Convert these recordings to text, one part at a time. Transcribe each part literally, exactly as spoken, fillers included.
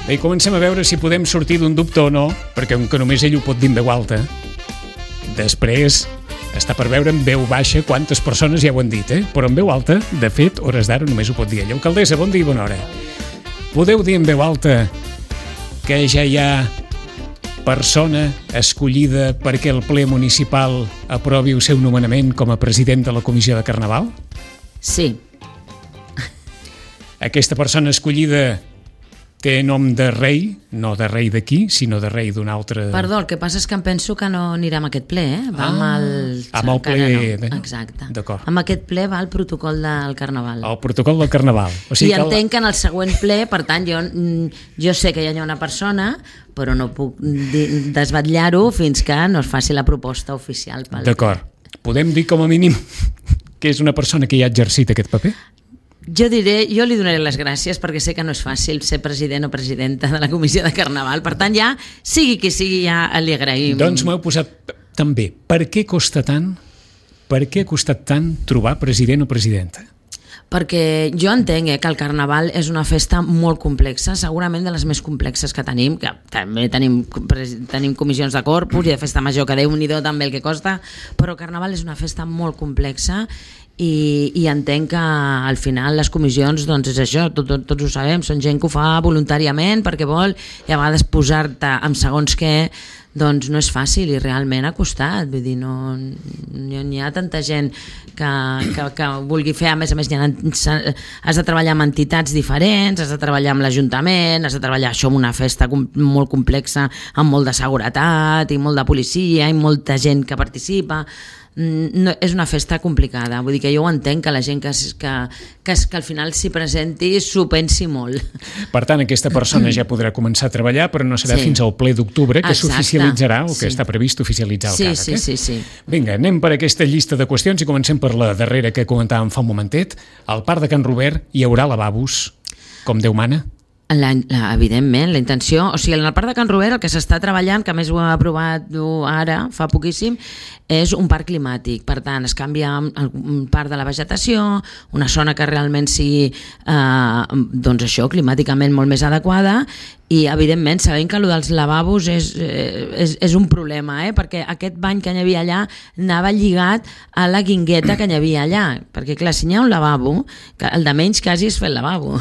Bé, comencem a veure si podem sortir d'un dubte o no, perquè com que només ell ho pot dir en veu alta, després està per veure en veu baixa quantes persones ja ho han dit, eh? Però en veu alta, de fet, hores d'ara només ho pot dir ell. Alcaldessa, bon dia i bona hora. Podeu dir en veu alta que ja hi ha persona escollida perquè el ple municipal aprovi el seu nomenament com a president de la comissió de Carnaval? Sí. Aquesta persona escollida té nom de rei, no de rei d'aquí, sinó de rei d'un altre... Perdó, el que passa és que em penso que no anirà amb aquest ple, eh? Va amb el... Ah, amb el ple... No. Exacte. D'acord. Amb aquest ple va el protocol del Carnaval. El protocol del Carnaval. O sigui I que entenc que en el següent ple, per tant, jo, jo sé que hi ha una persona, però no puc desvetllar-ho fins que no es faci la proposta oficial. Pel... D'acord. Podem dir com a mínim que és una persona que ja ha exercit aquest paper? Jo diré, jo li donaré les gràcies perquè sé que no és fàcil ser president o presidenta de la comissió de Carnaval, per tant ja, sigui qui sigui, ja li agraïm. Doncs m'heu posat també, per què costa tant, per què ha costat tant trobar president o presidenta? Perquè jo entenc eh, que el Carnaval és una festa molt complexa, segurament de les més complexes que tenim, que també tenim, tenim comissions de corpus i de festa major, que Déu-n'hi-do també el que costa, però el Carnaval és una festa molt complexa i, i entenc que al final les comissions, doncs és això, tot, tot, tots ho sabem, són gent que ho fa voluntàriament perquè vol, i a vegades posar-te amb segons què, doncs no és fàcil i realment ha costat, vull dir, no, n'hi ha tanta gent que, que, que vulgui fer, a més a més ha, has de treballar amb entitats diferents, has de treballar amb l'Ajuntament, has de treballar això en una festa com, molt complexa, amb molt de seguretat i molt de policia i molta gent que participa. No, és una festa complicada, vull dir que jo ho entenc que la gent que, que, que, que al final s'hi presenti s'ho pensi molt. Per tant, aquesta persona ja podrà començar a treballar, però no serà sí. fins al ple d'octubre que s'oficialitzarà o que sí. està previst oficialitzar el sí, càrrec. Sí, eh? sí, sí. Vinga, anem per aquesta llista de qüestions i comencem per la darrera que comentàvem fa un momentet. Al Parc de Can Robert hi haurà lavabos, com Déu mana? La, la, evidentment, la intenció, o sigui, en el Parc de Can Robert el que s'està treballant, que a més ho ha aprovat ara, fa poquíssim, és un parc climàtic. Per tant, es canvia un part de la vegetació, una zona que realment sigui eh, doncs això, climàticament molt més adequada, i evidentment sabem que allò dels lavabos és, és, és un problema, eh? Perquè aquest bany que hi havia allà anava lligat a la guingueta que hi havia allà, perquè clar, si hi ha un lavabo, que el de menys quasi és fer el lavabo,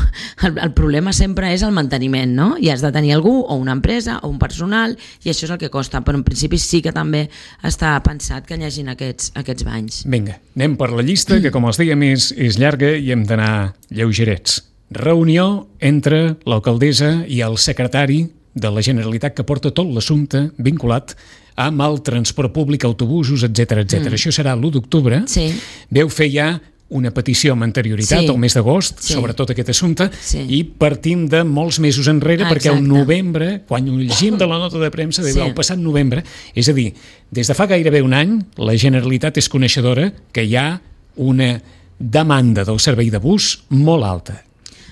el, el problema sempre és el manteniment, no? I has de tenir algú, o una empresa, o un personal, i això és el que costa, però en principi sí que també està pensat que hi hagin aquests, aquests banys. Vinga, anem per la llista, que com els dèiem és, és llarga i hem d'anar lleugerets. Reunió entre l'alcaldessa i el secretari de la Generalitat que porta tot l'assumpte vinculat amb el transport públic, autobusos, etcètera, etcètera. Mm. Això serà l'u d'octubre. Sí. Veu fer ja una petició amb anterioritat sí. al mes d'agost sí. sobre tot aquest assumpte sí. i partim de molts mesos enrere. Exacte. Perquè el novembre, quan ho llegim de la nota de premsa, sí. el passat novembre, és a dir, des de fa gairebé un any, la Generalitat és coneixedora que hi ha una demanda del servei de bus molt alta.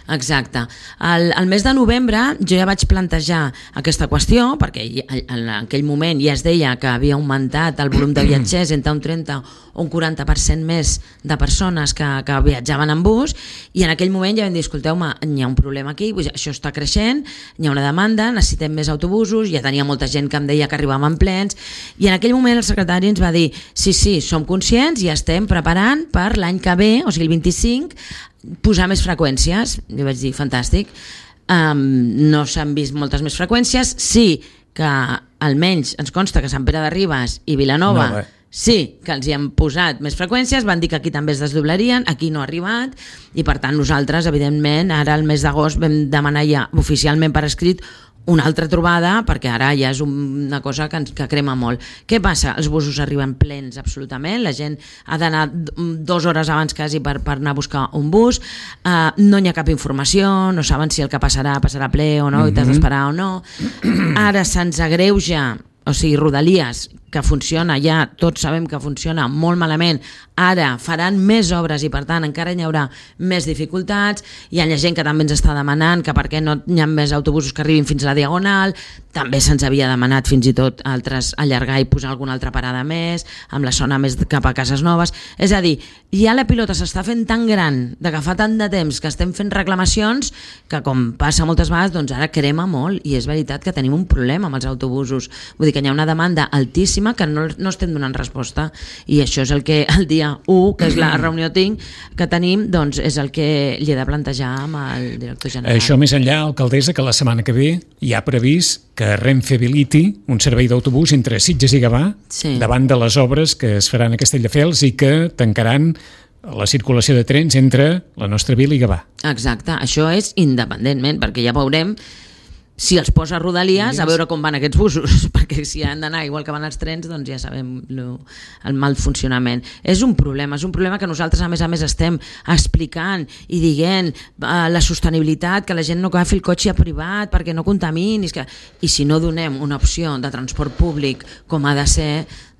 Exacte. El, el mes de novembre jo ja vaig plantejar aquesta qüestió perquè en aquell moment ja es deia que havia augmentat el volum de viatgers entre un trenta o un quaranta per cent més de persones que, que viatjaven en bus, i en aquell moment ja vam dir, escolteu-me, hi ha un problema aquí, això està creixent, hi ha una demanda, necessitem més autobusos, ja tenia molta gent que em deia que arribaven plens, i en aquell moment el secretari ens va dir, sí, sí, som conscients i estem preparant per l'any que ve, o sigui el vint-i-cinc, posar més freqüències. Jo vaig dir, fantàstic, um, no s'han vist moltes més freqüències, sí que almenys ens consta que Sant Pere de Ribes i Vilanova no, sí que els hi han posat més freqüències, van dir que aquí també es desdoblarien, aquí no ha arribat, i per tant nosaltres, evidentment, ara el mes d'agost vam demanar ja oficialment per escrit una altra trobada, perquè ara ja és una cosa que, ens, que crema molt. Què passa? Els busos arriben plens absolutament, la gent ha d'anar dues hores abans quasi per, per anar a buscar un bus, uh, no hi ha cap informació, no saben si el que passarà passarà ple o no, mm-hmm. i t'has d'esperar o no. Ara se'ns agreuja, o sigui, Rodalies, que funciona ja, tots sabem que funciona molt malament ara faran més obres i per tant encara hi haurà més dificultats. Hi ha gent que també ens està demanant que per què no hi ha més autobusos que arribin fins a la Diagonal, també se'ns havia demanat fins i tot altres allargar i posar alguna altra parada més, amb la zona més cap a Cases Noves. És a dir, ja la pilota s'està fent tan gran, de que fa tant de temps que estem fent reclamacions, que com passa moltes vegades, doncs ara crema molt, i és veritat que tenim un problema amb els autobusos. Vull dir que hi ha una demanda altíssima que no, no estem donant resposta, i això és el que el dia u, que és la reunió tinc, que tenim, doncs és el que li he de plantejar amb el director general. Això més enllà, alcaldessa, que la setmana que ve hi ha previst que Renfe habiliti un servei d'autobús entre Sitges i Gavà, sí, davant de les obres que es faran a Castelldefels i que tancaran la circulació de trens entre la nostra vila i Gavà. Exacte, això és independentment, perquè ja veurem si els posa Rodalies, a veure com van aquests busos, perquè si han d'anar igual que van els trens, doncs ja sabem lo, el mal funcionament. És un problema, és un problema que nosaltres a més a més estem explicant i dient uh, la sostenibilitat, que la gent no agafi el cotxe privat perquè no contamini, que... i si no donem una opció de transport públic com ha de ser,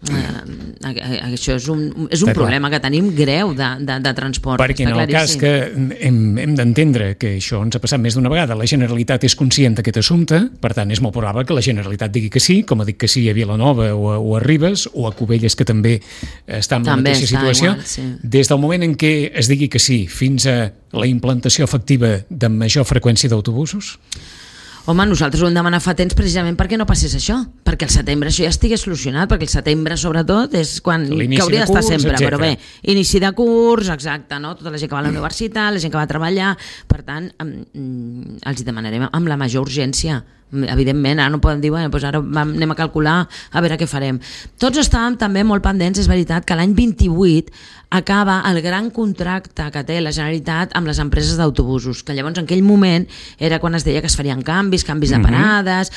Uh, això és un, és un problema que tenim greu de, de, de transport. Perquè en el cas que hem, hem d'entendre que això ens ha passat més d'una vegada, la Generalitat és conscient d'aquest assumpte, per tant és molt probable que la Generalitat digui que sí, com ha dit que sí a Vilanova o a, o a Ribes o a Cubelles, que també està en la també mateixa situació. Igual, sí. Des del moment en què es digui que sí fins a la implantació efectiva de major freqüència d'autobusos? Home, nosaltres ho hem demanat fa temps precisament perquè no passés això, perquè el setembre això ja estigués solucionat, perquè el setembre sobretot és quan que hauria d'estar sempre, etcètera. Però bé, inici de curs, exacte, no? Tota la gent que va a la universitat, la gent que va a treballar, per tant, els hi demanarem amb la major urgència. Evidentment, ara no podem dir, bueno, doncs ara anem a calcular a veure què farem. Tots estàvem també molt pendents, és veritat, que l'any vint-i-vuit acaba el gran contracte que té la Generalitat amb les empreses d'autobusos, que llavors en aquell moment era quan es deia que es farien canvis, canvis de parades,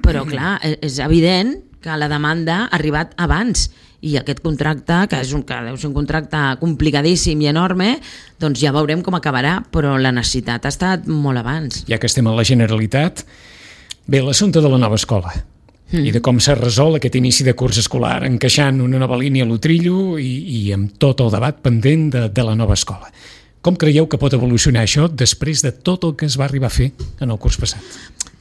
però clar, és evident que la demanda ha arribat abans, i aquest contracte, que és un, que deu ser un contracte complicadíssim i enorme, doncs ja veurem com acabarà, però la necessitat ha estat molt abans. Ja que estem a la Generalitat, bé, l'assumpte de la nova escola mm. i de com s'ha resolt aquest inici de curs escolar, encaixant una nova línia a l'Utrillo i, i amb tot el debat pendent de, de la nova escola. Com creieu que pot evolucionar això després de tot el que es va arribar a fer en el curs passat?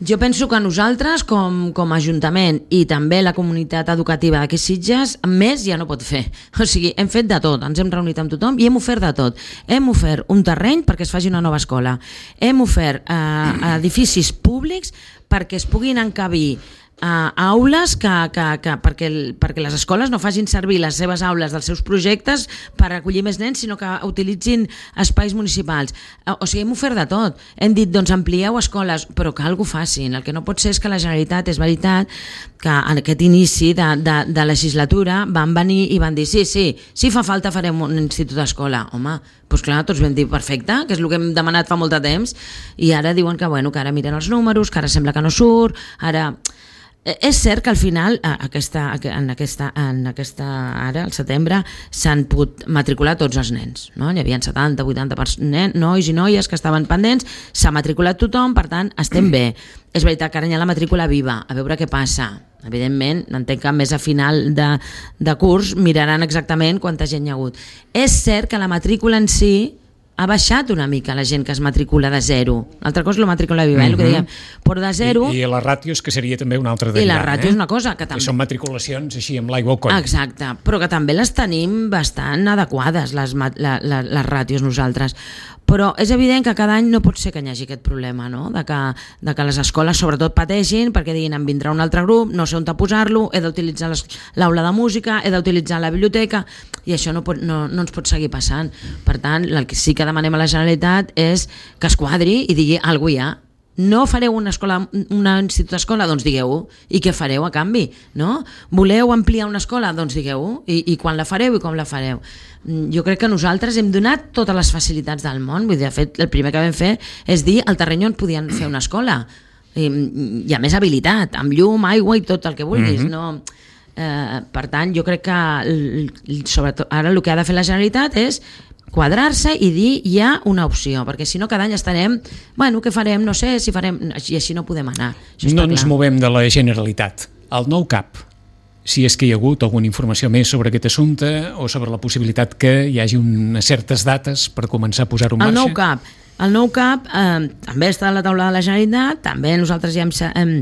Jo penso que nosaltres, com, com a Ajuntament i també la comunitat educativa d'aquí Sitges, més ja no pot fer. O sigui, hem fet de tot, ens hem reunit amb tothom i hem ofert de tot. Hem ofert un terreny perquè es faci una nova escola. Hem ofert eh, edificis públics perquè es puguin encabir Uh, aules que, que, que, perquè, el, perquè les escoles no facin servir les seves aules dels seus projectes per recollir més nens, sinó que utilitzin espais municipals. Uh, o sigui, hem ofert de tot. Hem dit, doncs amplieu escoles, però que algú facin. El que no pot ser és que la Generalitat, és veritat, que en aquest inici de, de, de legislatura van venir i van dir sí, sí, si fa falta farem un institut d'escola. Home, doncs clar, tots vam dir perfecte, que és el que hem demanat fa molt de temps, i ara diuen que, bueno, que ara miren els números, que ara sembla que no surt, ara... És cert que al final, aquesta, en, aquesta, en aquesta ara, al setembre, s'han pogut matricular tots els nens. No? Hi havia setanta vuitanta nen, nois i noies que estaven pendents, s'ha matriculat tothom, per tant, estem bé. És veritat que ara hi ha la matrícula viva, a veure què passa. Evidentment, entenc que més a final de, de curs miraran exactament quanta gent hi ha hagut. És cert que la matrícula en si ha baixat una mica la gent que es matricula de zero. L'altra cosa és la matrícula viva, eh, el que dèiem. Però de zero... I, i les ràtios, que seria també una altra derivada. I la ràtio eh? és una cosa que també... Que són matriculacions així amb l'aigua al coll. Exacte, però que també les tenim bastant adequades, les, la, la, les ràtios nosaltres. Però és evident que cada any no pot ser que hi hagi aquest problema, no? de, que, de que les escoles sobretot pateixin perquè diguin em vindrà un altre grup, no sé on posar-lo, he d'utilitzar l'aula de música, he d'utilitzar la biblioteca, i això no, pot, no, no ens pot seguir passant. Per tant, el que sí que demanem a la Generalitat és que es quadri i digui alguna cosa hi ha. No fareu una escola, un institut d'escola? Doncs digueu-ho. I què fareu a canvi? No? Voleu ampliar una escola? Doncs digueu-ho. I, I quan la fareu i com la fareu? Jo crec que nosaltres hem donat totes les facilitats del món. Vull dir, de fet, el primer que vam fer és dir al terreny on podien fer una escola. I, i a més habilitat, amb llum, aigua i tot el que vulguis. Mm-hmm. No? Eh, per tant, jo crec que sobretot ara el que ha de fer la Generalitat és quadrar-se i dir hi ha una opció, perquè si no cada any estarem, bueno, què farem, no sé si farem, i així no podem anar. No ens movem de la Generalitat. El nou C A P, si és que hi ha hagut alguna informació més sobre aquest assumpte o sobre la possibilitat que hi hagi unes certes dates per començar a posar-ho en marxa. El nou C A P. El nou C A P eh, també està a la taula de la Generalitat, també nosaltres ja hem... hem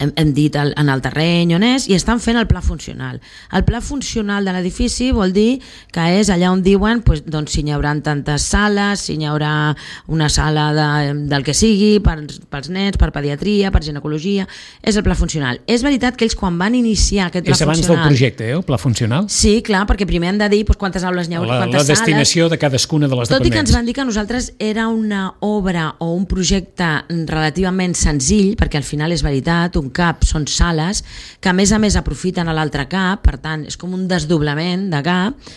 hem, hem dit el, en el terreny on és, i estan fent el pla funcional. El pla funcional de l'edifici vol dir que és allà on diuen pues, doncs, si hi haurà tantes sales, si hi haurà una sala de, del que sigui, per, pels nens, per pediatria, per ginecologia, és el pla funcional. És veritat que ells quan van iniciar aquest pla funcional... És abans del projecte, eh, el pla funcional? Sí, clar, perquè primer hem de dir pues, quantes aules hi haurà, la, quantes la destinació sales... de cadascuna de les dependències. Tot i que ens van dir que nosaltres era una obra o un projecte relativament senzill, perquè al final és veritat, un C A P són sales que a més a més aprofiten a l'altre C A P, per tant és com un desdoblament de C A P.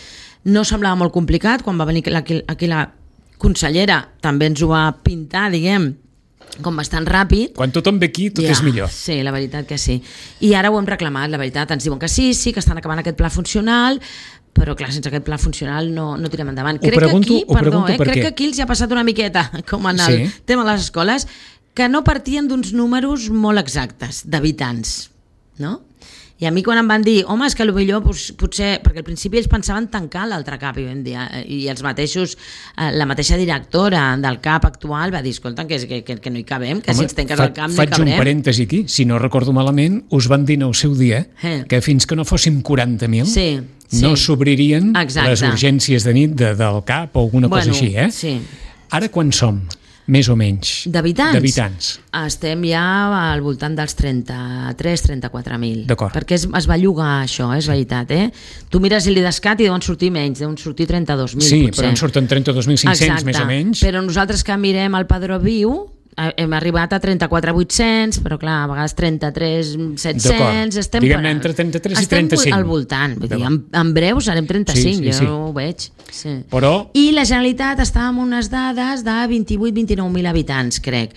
No semblava molt complicat, quan va venir aquí, aquí la consellera també ens ho va pintar, diguem, com bastant ràpid. Quan tothom ve aquí tot ja, és millor. Sí, la veritat que sí. I ara ho hem reclamat, la veritat, ens diuen que sí, sí, que estan acabant aquest pla funcional, però clar, sense aquest pla funcional no, no tirem endavant. Ho crec pregunto, que aquí, perdó, eh, per crec què? que aquí els hi ha passat una miqueta, com en el sí. tema de les escoles, que no partien d'uns números molt exactes d'habitants, no? I a mi quan em van dir, home, és que potser, potser perquè al principi ells pensaven tancar l'altre C A P, i, vam dir, i els mateixos, la mateixa directora del C A P actual va dir, escolta, que, que, que no hi cabem, que home, si ens tanques el C A P no hi cabrem. Faig un parèntesi aquí, si no recordo malament, us van dir en el seu dia eh. que fins que no fóssim quaranta mil sí, sí. no s'obririen les urgències de nit de, del C A P o alguna bueno, cosa així, eh? Sí. Ara quan som? Més o menys. D'habitants? D'habitants. Estem ja al voltant dels trenta-tres a trenta-quatre mil. D'acord. Perquè es, es va llogar això, és veritat, eh? Tu mires l'IDESCAT i deuen sortir menys, deuen sortir trenta-dos mil, sí, potser. però en surten trenta-dos mil cinc-cents, més o menys. Però nosaltres que mirem el Padró Viu, hem arribat a trenta-quatre mil vuit-cents, però clar, a vegades trenta-tres mil set-cents... Estem diguem-ne entre trenta-tres i trenta-cinc. Estem al voltant, vull dir, en, en breu serem trenta-cinc, sí, sí, sí. Jo ho veig. Sí. Però... I la Generalitat estava amb unes dades de vint-i-vuit a vint-i-nou mil habitants, crec.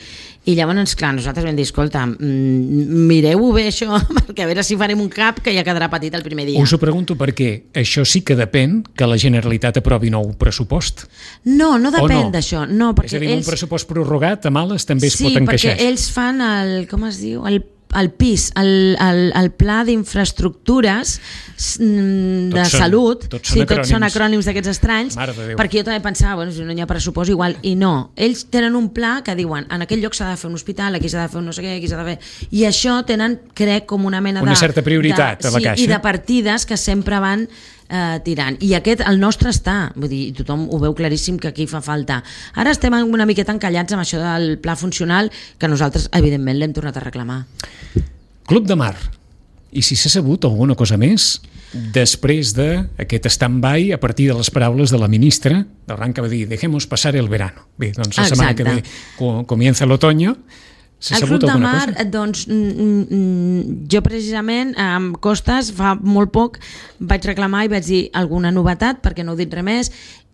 I llavors, clar, nosaltres vam dir, escolta, mireu-ho bé això, perquè a veure si farem un C A P que ja quedarà petit el primer dia. Us ho pregunto perquè això sí que depèn que la Generalitat aprovi nou pressupost. No, no depèn no? d'això. No, perquè és a dir, ells... un pressupost prorrogat a males també es sí, pot encaixar. Sí, perquè ells fan el, com es diu, el el P I S, el, el, el Pla d'Infraestructures de tots Salut, són, tots sí, són tots són acrònims d'aquests estranys, perquè jo també pensava, bueno, si no hi ha pressupost igual, i no, ells tenen un pla que diuen, en aquell lloc s'ha de fer un hospital, aquí s'ha de fer un no sé què, aquí s'ha de fer, i això tenen, crec, com una mena una de... Una certa prioritat de, a la sí, caixa. I de partides que sempre van Eh, tirant, i aquest, el nostre està, vull dir, tothom ho veu claríssim que aquí fa falta. Ara estem una miqueta encallats amb això del pla funcional que nosaltres evidentment l'hem tornat a reclamar. Club de Mar, i si s'ha sabut alguna cosa més després d'aquest stand-by a partir de les paraules de la ministra d'Arran, que va dir, dejemos pasar el verano. Bé, doncs la setmana que ve comienza l'otoño. El Club de Mar, doncs, mm, mm, jo precisament amb Costes fa molt poc vaig reclamar i vaig dir alguna novetat, perquè no heu dit res més,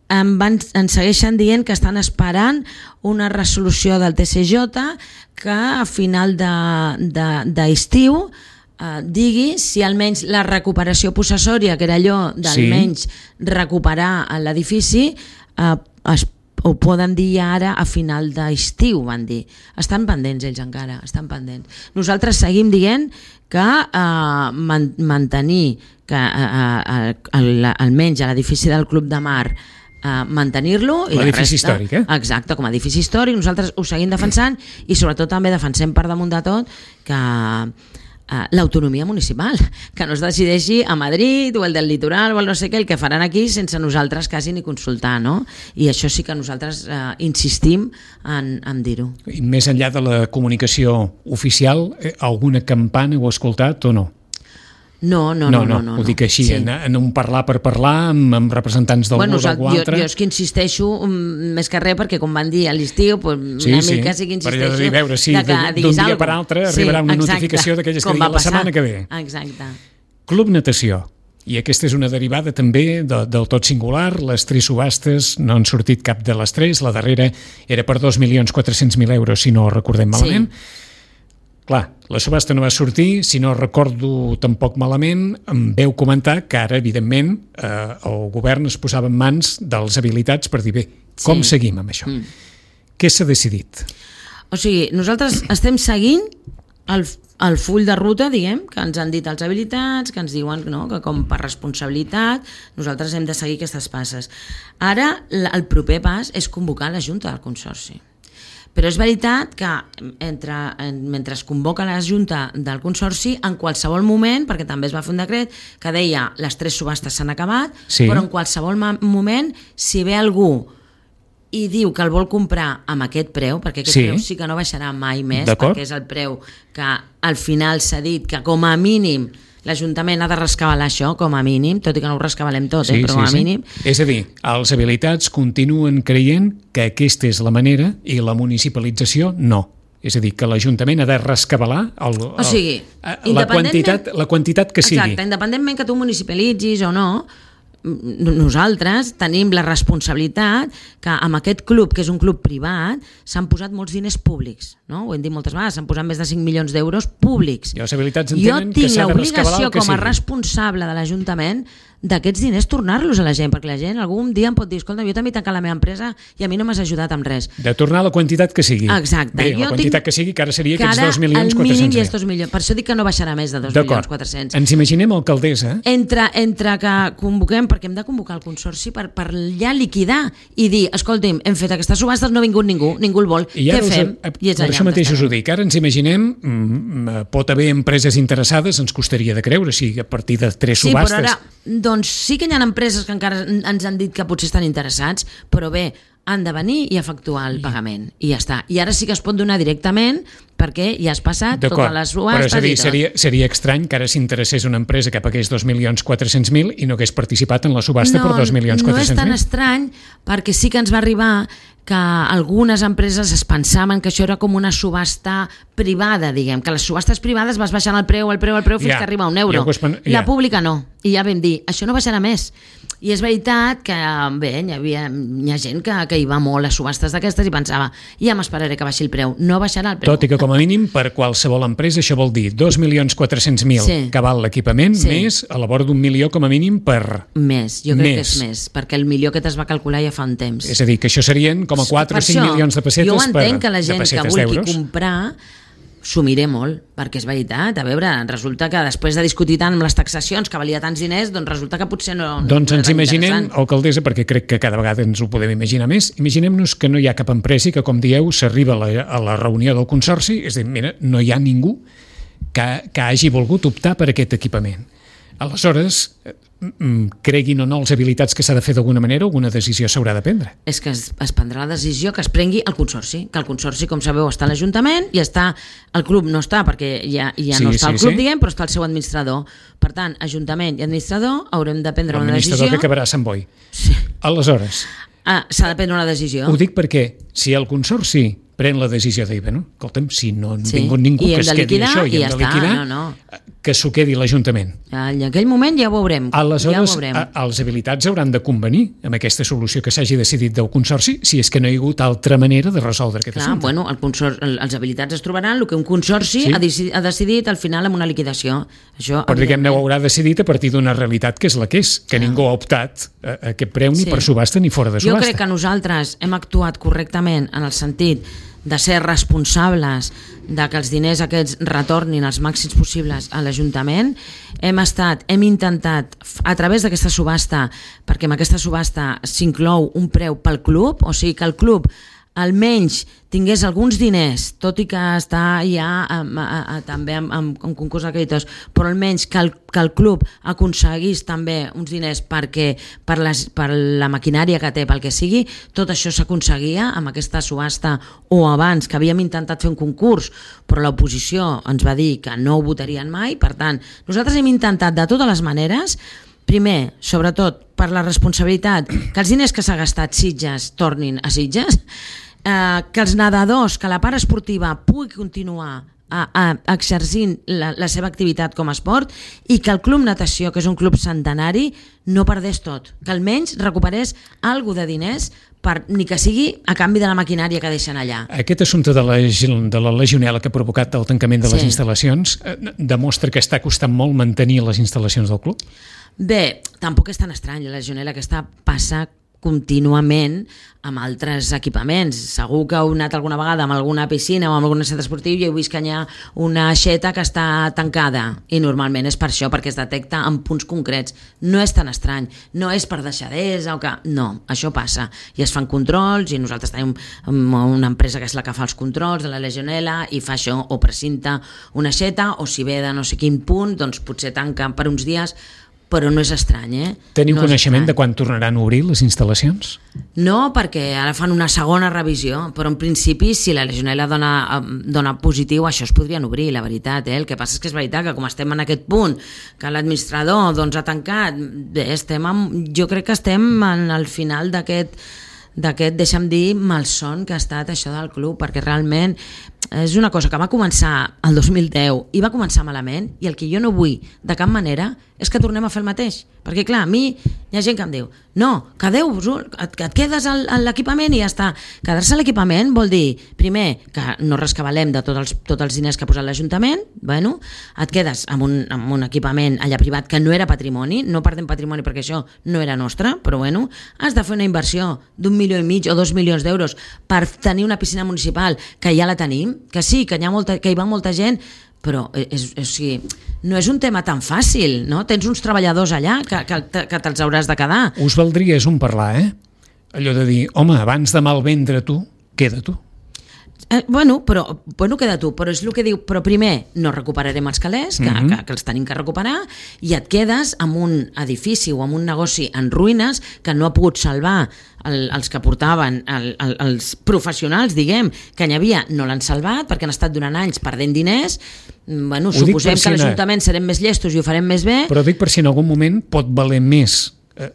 em, van, ens segueixen dient que estan esperant una resolució del T C J que a final d'estiu eh, digui si almenys la recuperació possessòria, que era allò d'almenys sí. recuperar l'edifici, eh, es ho poden dir ara a final d'estiu, van dir. Estan pendents ells encara, estan pendents. Nosaltres seguim dient que eh, man, mantenir que eh, eh, almenys a l'edifici del Club de Mar eh, mantenir-lo i l'edifici històric, eh? Exacte, com a edifici històric, nosaltres ho seguim defensant i sobretot també defensem per damunt de tot que Uh, l'autonomia municipal, que no es decideixi a Madrid o el del litoral o el no sé què, el que faran aquí sense nosaltres quasi ni consultar, no? I això sí que nosaltres uh, insistim en, en dir-ho. I més enllà de la comunicació oficial, eh, alguna campana heu escoltat o no? No, no, no. No, no, no, no ho dic així, sí. en, en un parlar per parlar amb, amb representants d'algú bueno, o d'algú altre. Jo, jo és que insisteixo um, més que res perquè com van dir a l'estiu, pues, sí, una sí. mica sí que insisteixo per dir, veure si d'un dia per altre arribarà sí, una exacte. notificació d'aquelles que com digui la setmana que ve. Exacte. Club Natació. I aquesta és una derivada també de, del tot singular. Les tres subhastes no han sortit cap de les tres. La darrera era per dos milions quatre-cents mil euros, si no recordem malament. Sí. Clar, la subhasta no va sortir, si no recordo tampoc malament, em veu comentar que ara, evidentment, eh, el govern es posava en mans dels habilitats per dir, bé, com sí. seguim amb això? Mm. Què s'ha decidit? O sigui, nosaltres estem seguint el, el full de ruta, diguem, que ens han dit els habilitats, que ens diuen, no?, que com per responsabilitat nosaltres hem de seguir aquestes passes. Ara el proper pas és convocar la Junta del Consorci. Però és veritat que entre, mentre es convoca la Junta del Consorci, en qualsevol moment, perquè també es va fer un decret que deia les tres subhastes s'han acabat, sí. Però en qualsevol moment, si ve algú i diu que el vol comprar amb aquest preu, perquè aquest sí. preu sí que no baixarà mai més, perquè és el preu que al final s'ha dit que com a mínim l'Ajuntament ha de rescabalar això, com a mínim, tot i que no ho rescabalem tot, sí, eh, però sí, com a sí. mínim. És a dir, els habilitats continuen creient que aquesta és la manera i la municipalització no. És a dir, que l'Ajuntament ha de rescabalar el, el, o sigui, la, quantitat, la quantitat que sigui. Exacte, independentment que tu municipalitzis o no, nosaltres tenim la responsabilitat que amb aquest club, que és un club privat, s'han posat molts diners públics, no? Ho hem dit moltes vegades, s'han posat més de cinc milions d'euros públics. I les habilitats entenen que s'ha de rescabalar el que sigui. Jo tinc l'obligació com a responsable de l'Ajuntament d'aquests diners tornar-los a la gent, perquè la gent algun dia em pot dir, escolta, jo també he tancat la meva empresa i a mi no m'has ajudat amb res. De tornar la quantitat que sigui. Exacte. Bé, jo la quantitat tinc... que sigui, que ara seria aquests dos milions quatre-cents mil. El mínim és dos milions. Per això dic que no baixarà més de dos milions quatre-cents. Ens imaginem, alcaldessa... Entre, entre que convoquem, perquè hem de convocar el Consorci per, per ja liquidar i dir, escolti'm, hem fet aquestes subhastes, no ha vingut ningú, ningú el vol, què fem? I és per això mateix us ho dic, ara ens imaginem, pot haver empreses interessades, ens costaria de creure, si a partir de tres subhastes... Sí, però ara, doncs sí que hi ha empreses que encara ens han dit que potser estan interessats, però bé, han de venir i efectuar el pagament, i ja està. I ara sí que es pot donar directament perquè ja has passat totes les subhastes. Però és a dir, seria, seria estrany que ara s'interessés una empresa que pagués dos milions quatre-cents mil i no hagués participat en la subhasta no, per dos milions quatre-cents mil. No és tan estrany, perquè sí que ens va arribar que algunes empreses es pensaven que això era com una subhasta privada, diguem, que les subhastes privades vas baixant el preu, el preu, el preu, fins ja, que arriba a un euro. Ja, ja. La pública no. I ja vam dir, això no baixarà més. I és veritat que, bé, hi, havia, hi ha gent que, que hi va molt a subhastes d'aquestes i pensava, ja m'esperaré que baixi el preu. No baixarà el preu. Tot i que, com a mínim, per qualsevol empresa, això vol dir dos milions quatre-cents mil sí. que val l'equipament, sí. més a la vora d'un milió, com a mínim, per... Més, jo crec més. que és més, perquè el milió aquest es va calcular ja fa un temps. És a dir, que això serien com a quatre o cinc milions de pessetes per, jo entenc que la gent que vulgui comprar s'ho miré molt, perquè és veritat, a veure, resulta que després de discutir tant amb les taxacions que valia tants diners, doncs resulta que potser no... Doncs no ens imaginem, alcaldessa, perquè crec que cada vegada ens ho podem imaginar més, imaginem-nos que no hi ha cap empresa i que, com dieu, s'arriba a, la, a la reunió del Consorci, és a dir, mira, no hi ha ningú que, que hagi volgut optar per aquest equipament. Aleshores, creguin o no les habilitats que s'ha de fer d'alguna manera, alguna decisió s'haurà de prendre. És que es, es prendrà la decisió que es prengui el Consorci, que el Consorci, com sabeu, està a l'Ajuntament i està, el club no està, perquè ja, ja sí, no està sí, el club, sí. diguem, però està el seu administrador. Per tant, Ajuntament i administrador haurem de prendre una decisió... L'administrador que acabarà a Sant Boi. Sí. Aleshores... Ah, s'ha de prendre una decisió. Ho dic perquè si el Consorci pren la decisió de dir, bueno, escolta'm, si no ha sí. vingut ningú que es quedi això i hem de liquidar, no, no. que s'ho quedi l'Ajuntament. En aquell moment ja ho veurem. Aleshores, ja ho veurem. A, els habilitats hauran de convenir amb aquesta solució que s'hagi decidit del Consorci, si és que no hi ha hagut altra manera de resoldre aquest Clar, assumpte. Bueno, el consor el, els habilitats es trobaran el que un Consorci sí. ha, deci ha decidit al final amb una liquidació. Això, però diguem-ne, ho haurà decidit a partir d'una realitat que és la que és, que Clar. ningú ha optat a, a aquest preu ni sí. per subhasta ni fora de subhasta. Jo crec que nosaltres hem actuat correctament en el sentit de ser responsables de que els diners aquests retornin els màxims possibles a l'Ajuntament. Hem estat, hem intentat, a través d'aquesta subhasta, perquè en aquesta subhasta s'inclou un preu pel club, o sigui que el club almenys tingués alguns diners, tot i que està ja amb, a, a, també amb, amb, amb concurs de creditors, però almenys que el, que el club aconseguís també uns diners perquè, per, les, per la maquinària que té, pel que sigui, tot això s'aconseguia amb aquesta subhasta o abans, que havíem intentat fer un concurs, però l'oposició ens va dir que no ho votarien mai. Per tant, nosaltres hem intentat de totes les maneres, primer, sobretot, per la responsabilitat, que els diners que s'ha gastat Sitges tornin a Sitges, eh, que els nedadors, que la part esportiva pugui continuar a, a, exercint la, la seva activitat com a esport i que el Club Natació, que és un club centenari, no perdés tot, que almenys recuperés alguna de diners, per, ni que sigui a canvi de la maquinària que deixen allà. Aquest assumpte de la, de la legionel·la que ha provocat el tancament de les sí. instal·lacions eh, demostra que està costant molt mantenir les instal·lacions del club? Bé, tampoc és tan estrany, la legionel·la aquesta passa contínuament amb altres equipaments. Segur que heu anat alguna vegada amb alguna piscina o amb algun centre esportiu i heu vist que hi ha una aixeta que està tancada, i normalment és per això, perquè es detecta en punts concrets. No és tan estrany, no és per deixadesa o que... No, això passa. I es fan controls, i nosaltres tenim una empresa que és la que fa els controls de la legionel·la i fa això, o precinta una aixeta, o si ve de no sé quin punt, doncs potser tanca per uns dies, però no és estrany, eh? Teniu no coneixement de quan tornaran a obrir les instal·lacions? No, perquè ara fan una segona revisió, però en principi si la legionel·la dona, dona positiu, això es podrien obrir, la veritat, eh? El que passa és que és veritat que com estem en aquest punt, que l'administrador doncs, ha tancat, bé, estem amb, jo crec que estem en el final d'aquest d'aquest, deixa'm dir, malson que ha estat això del club, perquè realment és una cosa que va començar el dos mil deu i va començar malament, i el que jo no vull de cap manera és que tornem a fer el mateix, perquè clar, a mi hi ha gent que em diu, no, quedeu-vos, et, et quedes a l'equipament i ja està. Quedar-se a l'equipament vol dir, primer, que no rescabalem de tots els, tots els diners que ha posat l'Ajuntament, bueno, et quedes amb un, amb un equipament allà privat que no era patrimoni, no perdem patrimoni perquè això no era nostre, però bueno, has de fer una inversió d'un milió i mig o dos milions d'euros per tenir una piscina municipal que ja la tenim, que sí, que hi, ha molta, que hi va molta gent, però és, és, o sigui, no és un tema tan fàcil, no? Tens uns treballadors allà que, que, que te'ls hauràs de quedar. Us valdria és un parlar, eh? Allò de dir, home, abans de malvendre tu, queda tu. Eh, bueno, però bueno, queda tu, però és el que diu, però primer no recuperarem els calés, que, mm-hmm. que, que els tenim que recuperar, i et quedes amb un edifici o amb un negoci en ruïnes que no ha pogut salvar el, els que portaven, el, el, els professionals, diguem, que n'hi havia, no l'han salvat perquè han estat durant anys perdent diners. Bueno, ho suposem si que l'Ajuntament serem més llestos i ho farem més bé. Però dic per si en algun moment pot valer més Eh,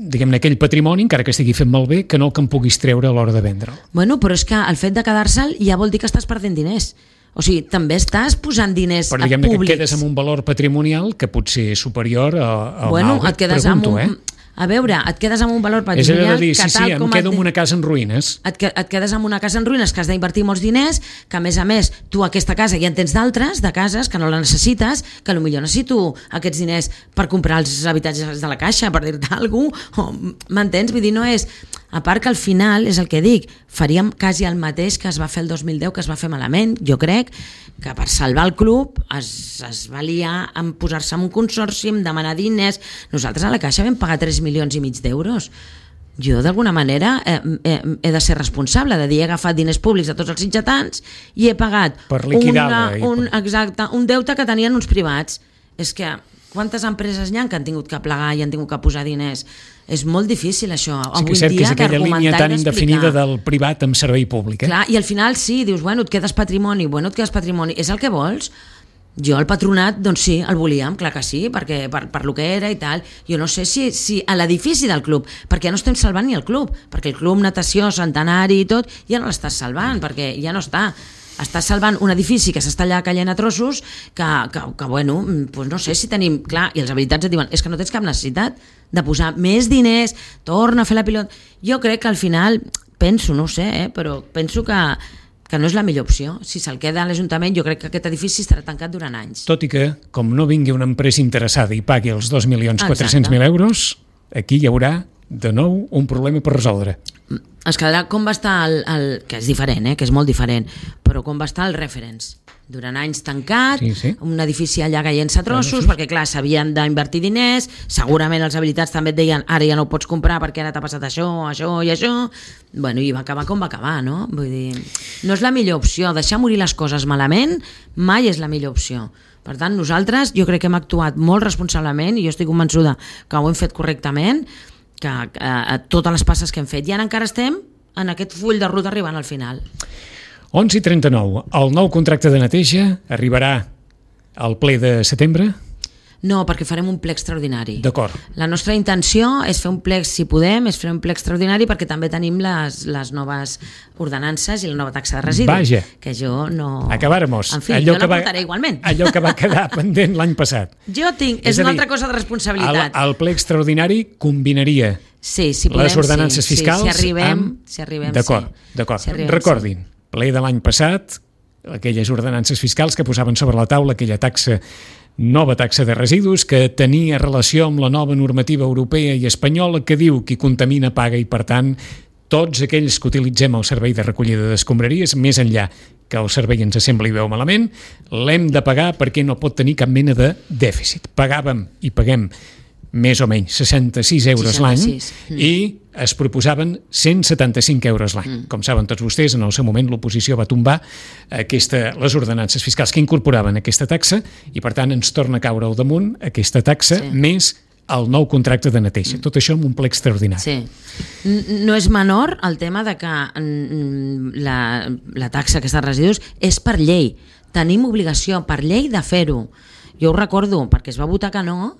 diguem-ne, aquell patrimoni, encara que estigui fet malbé, que no el que em puguis treure a l'hora de vendre'l. Bueno, però és que el fet de quedar-se'l ja vol dir que estàs perdent diners. O sigui, també estàs posant diners però, diguem-ne, públics. Que et quedes amb un valor patrimonial que pot ser superior a, a bueno, un altre. Et quedes Pregunto, amb un... eh? A veure, et quedes amb un valor patrimonial... És a dir, que sí, sí, em quedo amb una casa en ruïnes. Et, et quedes amb una casa en ruïnes que has d'invertir molts diners, que a més a més tu aquesta casa ja en tens d'altres, de cases, que no la necessites, que potser necessito aquests diners per comprar els habitatges de la Caixa, per dir-te alguna cosa, m'entens? Vull dir, no és... A part que al final, és el que dic, faríem quasi el mateix que es va fer el dos mil deu, que es va fer malament. Jo crec que per salvar el club es, es va liar en posar-se en un consorci, en demanar diners. Nosaltres a la Caixa vam pagar tres milions i mig d'euros. Jo, d'alguna manera, eh, eh, he de ser responsable de dir, he agafat diners públics de tots els sitgetans i he pagat per liquidar-la, una, un, exacte, un deute que tenien uns privats. És que quantes empreses n'hi ha que han tingut que plegar i han tingut que posar diners? És molt difícil això. Sí que és cert que és aquella línia tan indefinida del privat amb servei públic. Eh? Clar, i al final sí, dius, bueno, et quedes patrimoni, bueno, et quedes patrimoni, és el que vols? Jo el patronat, doncs sí, el volíem, clar que sí, perquè per, per lo que era i tal. Jo no sé si, si a l'edifici del club, perquè ja no estem salvant ni el club, perquè el club natació, centenari i tot, ja no l'estàs salvant, perquè ja no està. Estàs salvant un edifici que s'està allà caient a trossos, que, que, que bueno, doncs no sé si tenim... Clar, i els habilitats et diuen, és que no tens cap necessitat de posar més diners, torna a fer la pilota... Jo crec que al final, penso, no ho sé, eh, però penso que, que no és la millor opció. Si se'l queda a l'Ajuntament, jo crec que aquest edifici estarà tancat durant anys. Tot i que, com no vingui una empresa interessada i pagui els dos milions quatre-cents mil euros, aquí hi haurà de nou un problema per resoldre. Es quedarà com va estar el, el que és diferent, eh, que és molt diferent, però com va estar el Reference, durant anys tancat, sí, sí. Un edifici allà caient-se a trossos, sí. Perquè clar, s'havien d'invertir diners, segurament els habilitats també et deien, ara ja no ho pots comprar perquè ara t'ha passat això, això i això, bueno, i va acabar com va acabar, no? Vull dir, no és la millor opció, deixar morir les coses malament mai és la millor opció. Per tant, nosaltres jo crec que hem actuat molt responsablement i jo estic convençuda que ho hem fet correctament, que a totes les passes que hem fet i ara encara estem en aquest full de ruta arribant al final. onze i trenta-nou. El nou contracte de neteja arribarà al ple de setembre? No, perquè farem un ple extraordinari. D'acord. La nostra intenció és fer un ple, si podem, és fer un ple extraordinari perquè també tenim les, les noves ordenances i la nova taxa de residu. Vaja. Que jo no... Acabáramos. En fi, allò jo la va, portaré igualment. Allò que va quedar pendent l'any passat. Jo tinc... És, és una dir, altra cosa de responsabilitat. El, el ple extraordinari combinaria sí, si podem, les ordenances sí, fiscals sí, si arribem, amb... Si arribem, d'acord, sí. d'acord. Si arribem, recordin, sí. Ple de l'any passat, aquelles ordenances fiscals que posaven sobre la taula aquella taxa nova taxa de residus que tenia relació amb la nova normativa europea i espanyola que diu qui contamina paga i, per tant, tots aquells que utilitzem el servei de recollida d'escombraries, més enllà que el servei ens sembli veu malament, l'hem de pagar perquè no pot tenir cap mena de dèficit. Pagàvem i paguem més o menys seixanta-sis euros l'any mm. i es proposaven cent setanta-cinc euros l'any. Mm. Com saben tots vostès, en el seu moment l'oposició va tombar aquesta, les ordenances fiscals que incorporaven aquesta taxa i, per tant, ens torna a caure al damunt aquesta taxa sí. més el nou contracte de neteja. Tot això amb un ple extraordinari. Sí. No és menor el tema de que la, la taxa aquesta de residus és per llei. Tenim obligació per llei de fer-ho. Jo ho recordo, perquè es va votar que no,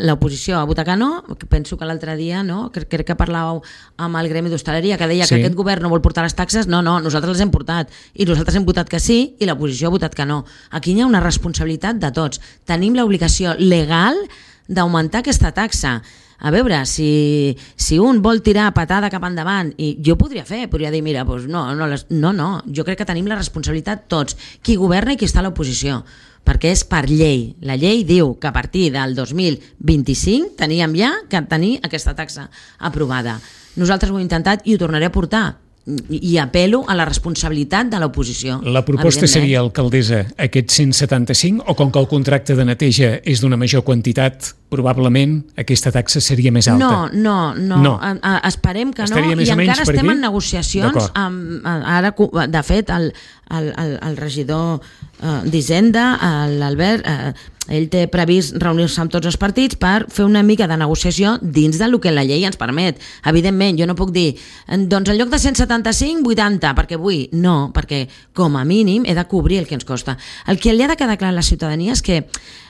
l'oposició va votar que no, penso que l'altre dia, no, crec, crec que parlàveu amb el gremi d'hostaleria, que deia sí. que aquest govern no vol portar les taxes, no, no, nosaltres les hem portat, i nosaltres hem votat que sí, i l'oposició ha votat que no. Aquí hi ha una responsabilitat de tots. Tenim l'obligació legal d'augmentar aquesta taxa. A veure, si, si un vol tirar patada cap endavant, i jo podria fer, podria dir, mira, doncs no, no, les, no, no, jo crec que tenim la responsabilitat tots, qui governa i qui està a l'oposició, perquè és per llei. La llei diu que a partir del dos mil vint-i-cinc teníem ja que tenir aquesta taxa aprovada. Nosaltres ho hem intentat i ho tornaré a portar. I apel·lo a la responsabilitat de l'oposició. La proposta seria, alcaldessa, aquest cent setanta-cinc, o com que el contracte de neteja és d'una major quantitat, probablement aquesta taxa seria més alta? No, no, no. no. A, a, esperem que Estaria no, i encara estem en negociacions. Amb, ara, de fet, el, el, el, el regidor uh, d'Hisenda, l'Albert, uh, ell té previst reunir-se amb tots els partits per fer una mica de negociació dins del que la llei ens permet. Evidentment, jo no puc dir, doncs en lloc de cent setanta-cinc, vuitanta, perquè vull. No, perquè com a mínim he de cobrir el que ens costa. El que li ha de quedar clar a la ciutadania és que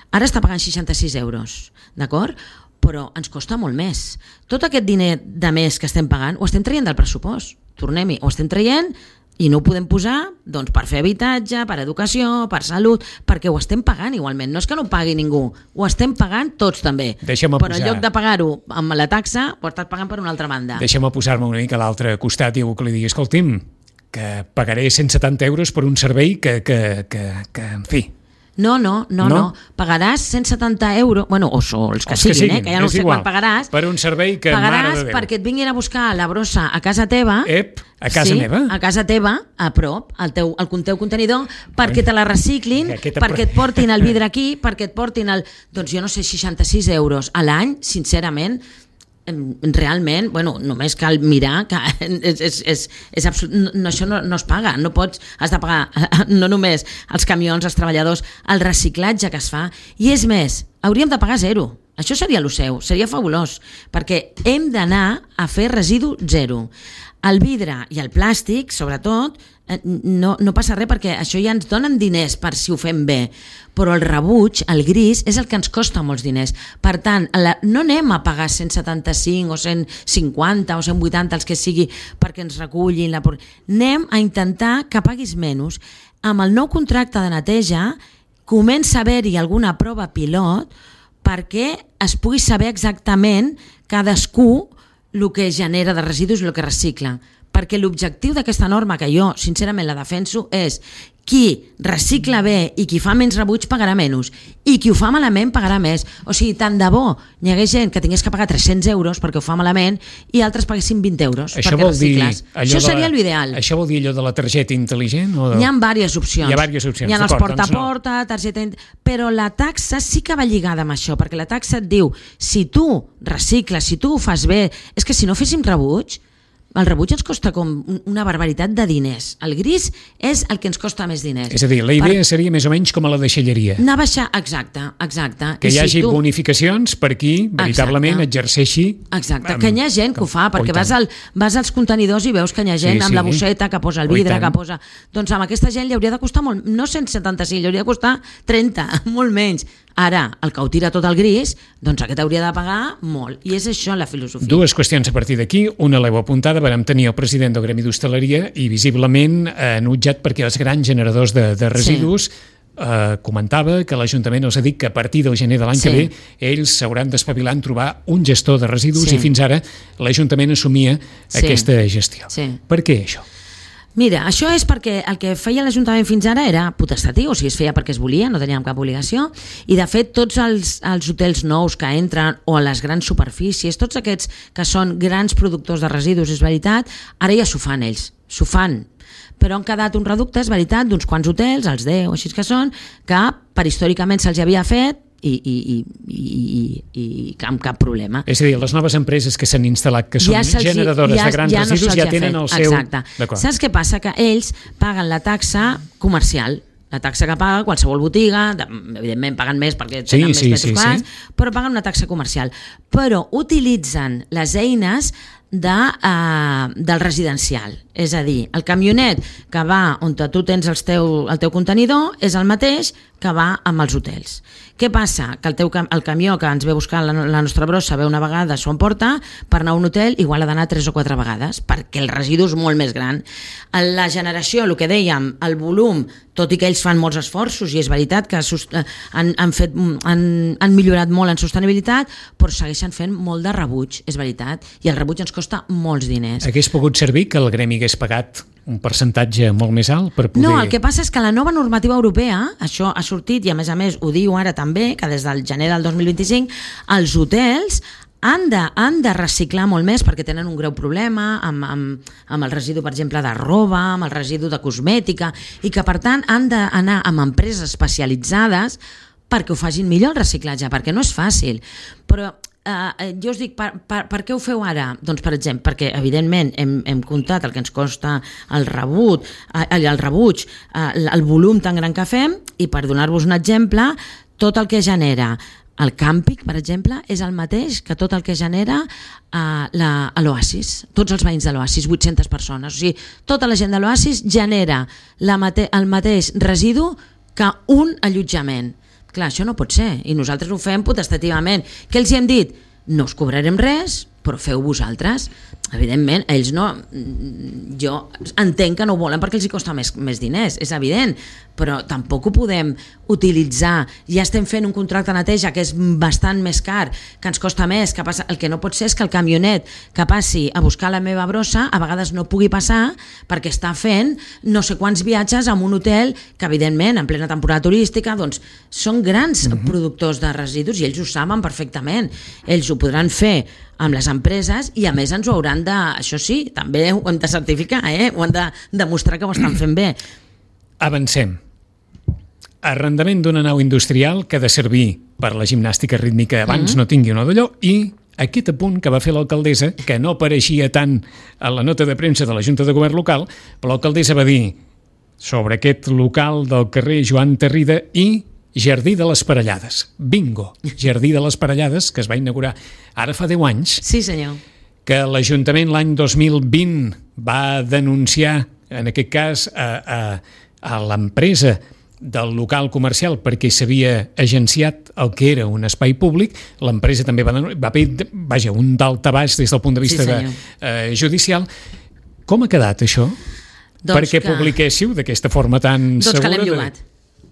ara està pagant seixanta-sis euros, d'acord? Però ens costa molt més. Tot aquest diner de més que estem pagant ho estem traient del pressupost. Tornem-hi, ho estem traient i no ho podem posar doncs, per fer habitatge, per educació, per salut, perquè ho estem pagant igualment. No és que no ho pagui ningú, ho estem pagant tots també. Deixa'm Però en lloc de pagar-ho amb la taxa, ho estàs pagant per una altra banda. Deixa'm posar-me una mica a l'altre costat i algú que li digui, escolti'm, que pagaré cent setanta euros per un servei que, que, que, que en fi... No, no, no, no, no. Pagaràs cent setanta euros, bueno, o els que, els siguin, que siguin, eh? que ja no sé igual. Quan pagaràs. Per un servei que, pagaràs mare de Déu. Perquè et vinguin a buscar la brossa a casa teva. Ep, a casa sí, meva? a casa teva, a prop, al teu, al teu contenidor, perquè te la reciclin, Aquesta... perquè et portin el vidre aquí, perquè et portin el... Doncs jo no sé, seixanta-sis euros a l'any, sincerament, realment, bueno, només cal mirar que és, és, és, és absolut, no, això no, no es paga, no pots, has de pagar no només els camions, els treballadors, el reciclatge que es fa, i és més, hauríem de pagar zero. Això seria el seu, seria fabulós, perquè hem d'anar a fer residu zero. El vidre i el plàstic, sobretot, no, no passa res perquè això ja ens donen diners per si ho fem bé, però el rebuig, el gris, és el que ens costa molts diners. Per tant, la, no anem a pagar cent setanta-cinc o cent cinquanta o cent vuitanta, els que sigui, perquè ens recullin. La... Anem a intentar que paguis menys. Amb el nou contracte de neteja comença a haver-hi alguna prova pilot perquè es pugui saber exactament cadascú el que genera de residus i el que recicla. Perquè l'objectiu d'aquesta norma, que jo sincerament la defenso, és qui recicla bé i qui fa menys rebuig pagarà menys, i qui ho fa malament pagarà més. O sigui, tant de bo hi hagués gent que tingués que pagar tres-cents euros perquè ho fa malament i altres paguessin vint euros això perquè recicles. Això seria l'ideal. Això vol dir allò de la targeta intel·ligent? O de... Hi ha diverses opcions. Hi ha diverses opcions. Hi ha els porta-a-porta, no. targeta... Però la taxa sí que va lligada amb això, perquè la taxa et diu, si tu recicles, si tu ho fas bé, és que si no féssim rebuig, el rebuig ens costa com una barbaritat de diners. El gris és el que ens costa més diners. És a dir, la idea per... seria més o menys com a la deixalleria. Anar a baixar, exacte, exacte. Que hi hagi si tu... bonificacions per qui veritablement exacte. exerceixi... Exacte, amb... que hi ha gent que ho fa, perquè vas, al, vas als contenidors i veus que hi ha gent sí, amb sí. la bosseta que posa el vidre, que posa... Doncs amb aquesta gent li hauria de costar molt, no cent setanta-cinc, li hauria de costar trenta, molt menys. Ara, el que ho tira tot el gris, doncs aquest hauria de pagar molt. I és això la filosofia. Dues qüestions a partir d'aquí. Una l'heu apuntada, vam tenir el president del Gremi d'Hostaleria i visiblement enutjat perquè els grans generadors de, de residus sí. eh, comentava que l'Ajuntament els ha dit que a partir del gener de l'any sí. que ve ells s'hauran d'espavilar en trobar un gestor de residus sí. i fins ara l'Ajuntament assumia sí. aquesta gestió. Sí. Per què això? Mira, això és perquè el que feia l'Ajuntament fins ara era potestatiu, o sigui, es feia perquè es volia, no teníem cap obligació, i de fet tots els, els hotels nous que entren o a les grans superfícies, tots aquests que són grans productors de residus, és veritat, ara ja s'ho fan ells, s'ho fan, però han quedat un reducte, és veritat, d'uns quants hotels, els deu o així que són, que per històricament se'ls havia fet i, i, i, i, i, i amb cap problema. És a dir, les noves empreses que s'han instal·lat, que són ja generadores ja, de grans ja no residus, ja tenen fet. el seu... Exacte. Saps què passa? Que ells paguen la taxa comercial, la taxa que paga qualsevol botiga, evidentment paguen més perquè tenen sí, més sí, metres quadrats, sí, sí. però paguen una taxa comercial. Però utilitzen les eines de, uh, del residencial. És a dir, el camionet que va on tu tens el teu, el teu contenidor és el mateix que va amb els hotels. Què passa? Que el, teu, el camió que ens ve a buscar la, la nostra brossa ve una vegada, s'ho emporta, per anar a un hotel igual ha d'anar tres o quatre vegades, perquè el residu és molt més gran. La generació, el que dèiem, el volum, tot i que ells fan molts esforços, i és veritat que han, han, fet, han, han millorat molt en sostenibilitat, però segueixen fent molt de rebuig, és veritat, i el rebuig ens costa molts diners. Hagués pogut servir que el gremi hagués pagat un percentatge molt més alt per poder... No, el que passa és que la nova normativa europea, això ha sortit i a més a més ho diu ara també, que des del gener del dos mil vint-i-cinc els hotels han de, han de reciclar molt més perquè tenen un greu problema amb, amb, amb el residu, per exemple, de roba, amb el residu de cosmètica, i que per tant han d'anar amb empreses especialitzades perquè ho facin millor el reciclatge, perquè no és fàcil. Però Uh, jo us dic, per, per, per què ho feu ara? Doncs, per exemple, perquè evidentment hem, hem comptat el que ens costa el rebut, uh, el rebuig, uh, el volum tan gran que fem, i per donar-vos un exemple, tot el que genera el càmping, per exemple, és el mateix que tot el que genera uh, l'Oasis, tots els veïns de l'Oasis, vuit-centes persones. O sigui, tota la gent de l'Oasis genera la mate- el mateix residu que un allotjament. Clar, això no pot ser, i nosaltres ho fem potestativament. Què els hi hem dit? No us cobrarem res, però feu vosaltres. Evidentment, ells no... Jo entenc que no ho volen perquè els hi costa més, més diners, és evident, però tampoc ho podem utilitzar. Ja estem fent un contracte de neteja que és bastant més car, que ens costa més, que passa... el que no pot ser és que el camionet que passi a buscar la meva brossa a vegades no pugui passar perquè està fent no sé quants viatges a un hotel que, evidentment, en plena temporada turística, doncs són grans uh-huh. productors de residus i ells ho saben perfectament. Ells ho podran fer amb les empreses i a més ens ho hauran de, això sí, també ho hem de certificar, eh? Ho han de demostrar que ho estan fent bé. Avancem. Arrendament d'una nau industrial que ha de servir per la gimnàstica rítmica abans mm-hmm. no tingui una d'allò, i aquest apunt que va fer l'alcaldessa, que no apareixia tant a la nota de premsa de la Junta de Govern local, però l'alcaldessa va dir sobre aquest local del carrer Joan Tarrida i Jardí de les Parellades. Bingo! Jardí de les Parellades, que es va inaugurar ara fa deu anys. Sí, senyor. Que l'Ajuntament l'any dos mil vint va denunciar, en aquest cas, a, a, a l'empresa del local comercial perquè s'havia agenciat el que era un espai públic. L'empresa també va, va haver, vaja, un daltabaix des del punt de vista sí, de, eh, judicial. Com ha quedat això? Doncs perquè que... publiquéssiu d'aquesta forma tan doncs segura? Doncs que l'hem llogat.